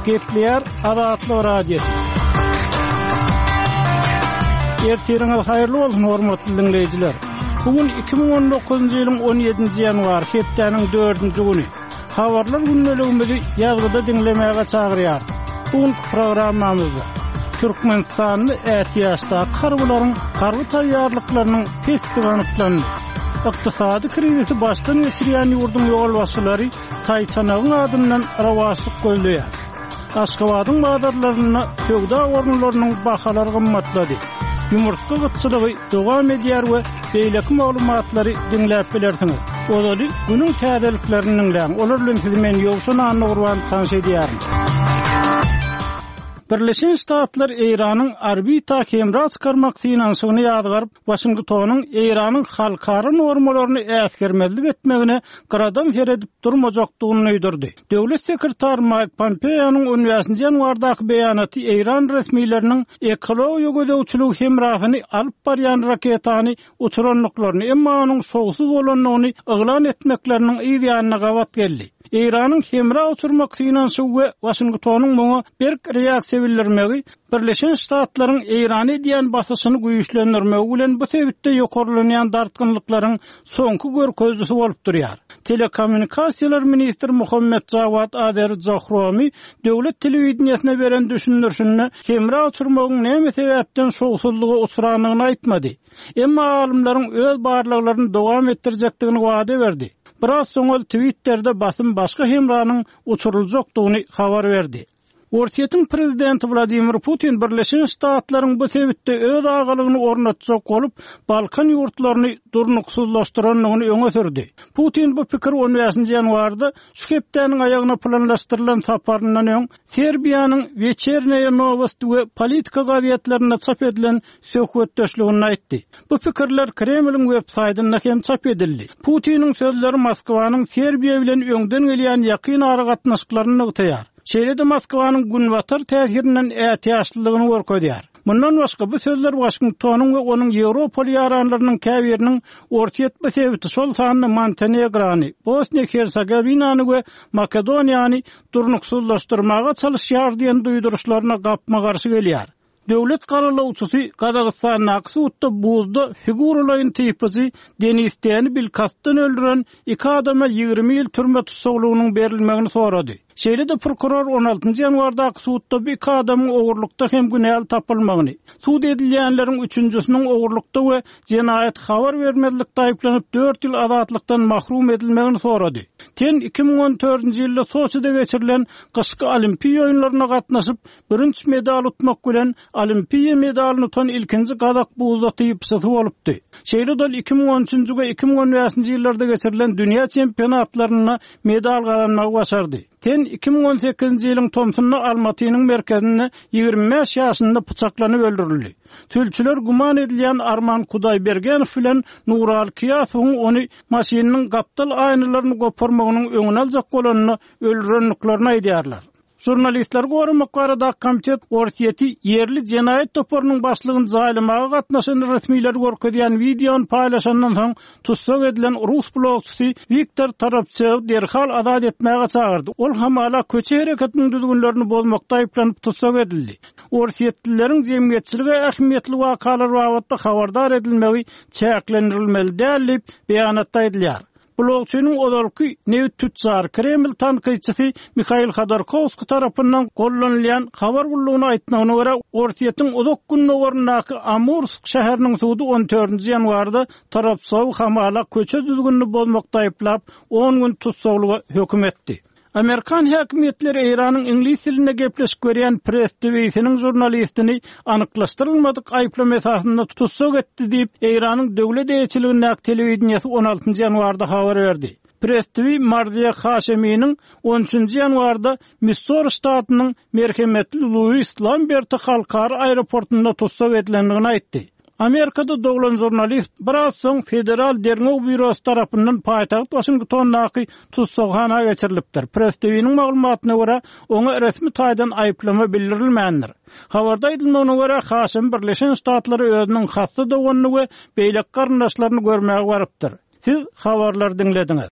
Gepleýär Azatlyk Radiosy. Ertiriňiz haýyrly bolsun, hormatly diňleýjiler. Bu gün 2019-njy ýylyň 17-nji ýanwary, hepdäniň dördünji güni. Habarlar gündeligimizi ýazgyda diňlemäge çagyrýarys. Bu günki programmamyzda Türkmenistanda ätiýaçdaky harbylaryň harby taýýarlyklarynyň pesdigi anyklandy. Ykdysady krizisi başdan geçirýän ýurduň ýolbaşçylary taýçanagyň adyndan rowaçlyk gözleýär. Aşgabadyň bazarlarynda söwda orunlarynyň bahalary gymmatlady. Ýumurtga gytçylygy dowam edýär we beýleki maglumatlary diňläp bilersiňiz. Ozaly günüň täzeliklerini diňläň. Olar bilen sizi men Ýowşan Annagurban tanyş edýärin. Birleşen Ştatlar Eýranyň orbita hemra çykarmak synanyşygyny ýazgaryp, Waşingtonyň Eýranyň halkara normalaryny äsgermezlik etmegine gyradan seredip durmajakdygyny duýdurdy. Döwlet sekretary Maýk Pompeonyň on bäşinji ýanwardaky beýanaty eýran resmileriniň ekologiýa gözegçiligi hemrasyny alyp barýan raketany uçurandyklaryny, emma onuň şowsuz bolandygyny yglan etmekleriniň yz ýanyna gabat geldi. Eýranyň hemra uçurmak synanyşygy we Waşingtonyň muňa berk reaksiýa bildirmegi Birleşen Ştatlaryň Eýrana edýän basyşyny güýçlendirmegi bilen bu sebitde ýokarlanýan dartgynlyklaryň soňky görkezijisi bolup durýar. Telekommunikasiýalar ministri Muhammet Jawad Azeri Johromi döwlet telewideniýesine beren düşündirişinde hemra uçurmagyň näme sebäpden şowsuzlyga uçrandygyny aýtmady. Emma alymlaryň öz barlaglaryny dowam etdirjekdigini wada berdi. Biraz soň ol Twitterde basym başga hemranyň uçuryljakdygyny habar berdi. Orsýetiň prezidenti Wladimir Putin Birleşen Ştatlaryň bu sebitde öz agalygyny ornatjak bolup, Balkan ýurtlaryny durnuksyzlaşdyrandygyny öňe sürdi. Putin bu pikiri on bäşinji ýanwarda şu hepdäniň aýagyna planlaşdyrylan saparyndan öň Serbiýanyň Weçernýa Nowosti we Politika gazetlerinde çap edilen söhbetdeşliginde aýtdy. Bu pikirler Kremliň web-saýtynda hem çap edildi. Putiniň sözleri Moskwanyň Serbiýa bilen öňden gelýän ýakyn aragatnaşyklaryny nygtaýar. Şeýle-de Moskwanyň Günbatar täsirinden ätiýaçlydygyny görkezýär. Mundan başga, bu sözler Waşingtonyň we onuň ýewropaly ýaranlarynyň käbiriniň Orsýet bu sebiti, şol sanda Montenegrony, Bosniýa-Hersegowinany we Makedoniýany durnuksyzlaşdyrmaga çalyşýar diýen duýduryşlaryna gapma-garşy gelýär. Döwlet garalawçysy Gazagystandaky sudda buzda figuralaýyn typyjy Denis Teni bilkastdan öldüren iki adama 20 ýyl türme tussaglygynyň berilmegini sorady. Şeýle-de prokuror on altynjy ýanwardaky sudda bu iki adamyň ogurlykda hem günäli tapylmagyny, sud edilýänleriň üçünjisiniň ogurlykda we jenaýat habar bermezlikde aýyplanyp dört ýyl azatlykdan mahrum edilmegini sorady. Ten 2014-nji ýylda Soçide geçirilen gyşky Olimpiýa oýunlaryna gatnaşyp, Bürünç medal utmak bilen, olimpiýa medalyny utan ilkinji gazak buzda typyçysy bolupdy. Şeýle-de ol 2013-nji we 2015-nji ýyllarda geçirilen dünýä çempionatlarynda medal gazanmagy başardy. Ten 2018-nji ýylyň tomsunda Almatynyň merkezinde 25 ýaşynda pyçaklanyp öldürildi. Sülçüler güman edilýän Arman Kudaýbergenow bilen Nuraly Kyýasowyň ony maşynynyň gapdal aýnalaryny goparmagynyň öňüni aljak bolanda öldürendiklerini aýdýarlar. Žurnalistleri goramak baradaky komitet Orsýeti ýerli jenaýat toparynyň başlygyny jaýlamaga gatnaşan resmileri görkezýän wideony paýlaşandan soň tussag edilen rus blogçysy Wiktor Toropsewi derhal azat etmäge çagyrdy. Ol hamala köçe hereketiniň düzgünlerini bozmakda aýyplanyp tussag edildi. Orsýetlileriň jemgyýetçilige ähmiýetli wakalar babatda habardar edilmegi çäklendirilmeli däl diýip, beýanatda aýdylýar. Blogçynyň ozalky nebit tütjary, Kreml tankytçysy Mihail Hodorkowskiý tarapyndan gollanylýan habar gullugyna aýtmagyna görä, Orsýetiň uzak gündogaryndaky Amursk şäheriniň sudy on dördünji ýanwarda Toropsowy hamala köçe düzgünini bozmakda aýyplap, on gün tussaglyga höküm etdi. Amerikan häkimiýetleri Eýranyň iňlis dilinde gepleşik berýän Press TV-siniň žurnalistini anyklaşdyrylmadyk aýyplama esasynda tussag etdi diýip, Eýranyň döwlet eýeçiligindäki telewideniýesi on altynjy ýanwarda habar berdi. Press TV Marziýa Haşeminiň on üçünji ýanwarda Missori ştatynyň merhemetli Luis Lamberti halkara aeroportunda tussag edilendigini aýtdy. Amerikada doglan žurnalist biraz soň Federal derňew býurosy tarapyndan paýtagt Waşingtondaky tussaghana geçirilipdir. Press TV-niň maglumatyna görä, oňa resmi taýdan aýyplama bildirilmändir. Habarda aýdylmagyna görä, Haşemi Birleşen Ştatlara özüniň hassa doganyny we beýleki garyndaşlaryny görmäge barypdyr. Siz habarlary diňlediňiz.